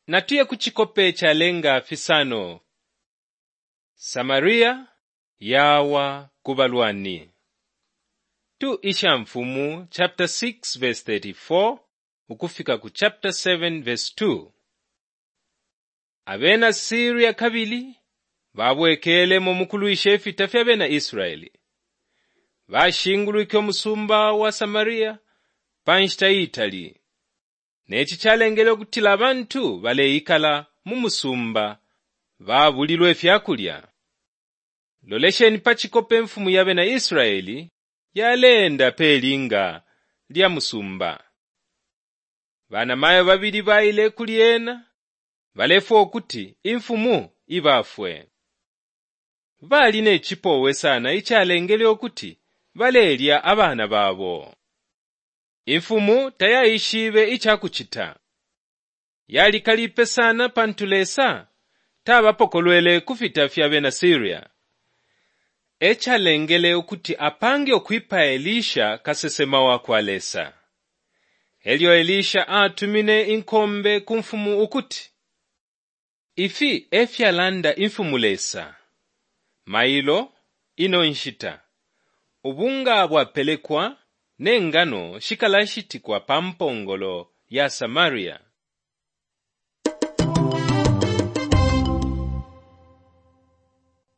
Natuye ku cikope calenga fisano. Samaria yawa ku balwani. 2 Ishamfumu chapter 6 verse 34 ukufika ku chapter 7 verse 2. Abena Siria kabili babwekelemo mu kulwisha ifita fya bena Israeli. Bashingulwike umusumba wa Samaria pa nshita iitali. Ne ci calengele ukutila abantu baleikala mu musumba babulilwe ifya kulya. Lolesheni pa cikope imfumu ya bena Israeli yaleenda pe linga lya musumba. Banamayo babili baile kuli ena balefwaya ukuti imfumu ibafwe. Bali ne cipowe sana icalengele ukuti balelya abana babo. Imfumu tayaishibe ica kucita. Yalikalipe sana pantu Lesa tabapokolwele ku fita fya bena Siria. E calengele ukuti apange ukwipaya Elisha kasesema wa kwa Lesa. E lyo Elisha atumine inkombe ku mfumu ukuti, Ifi e fyalanda Imfumu Lesa, Mailo ino nshita, ubunga bwapelekwa ne ngano shikalashitikwa pa mpongolo ya Samaria.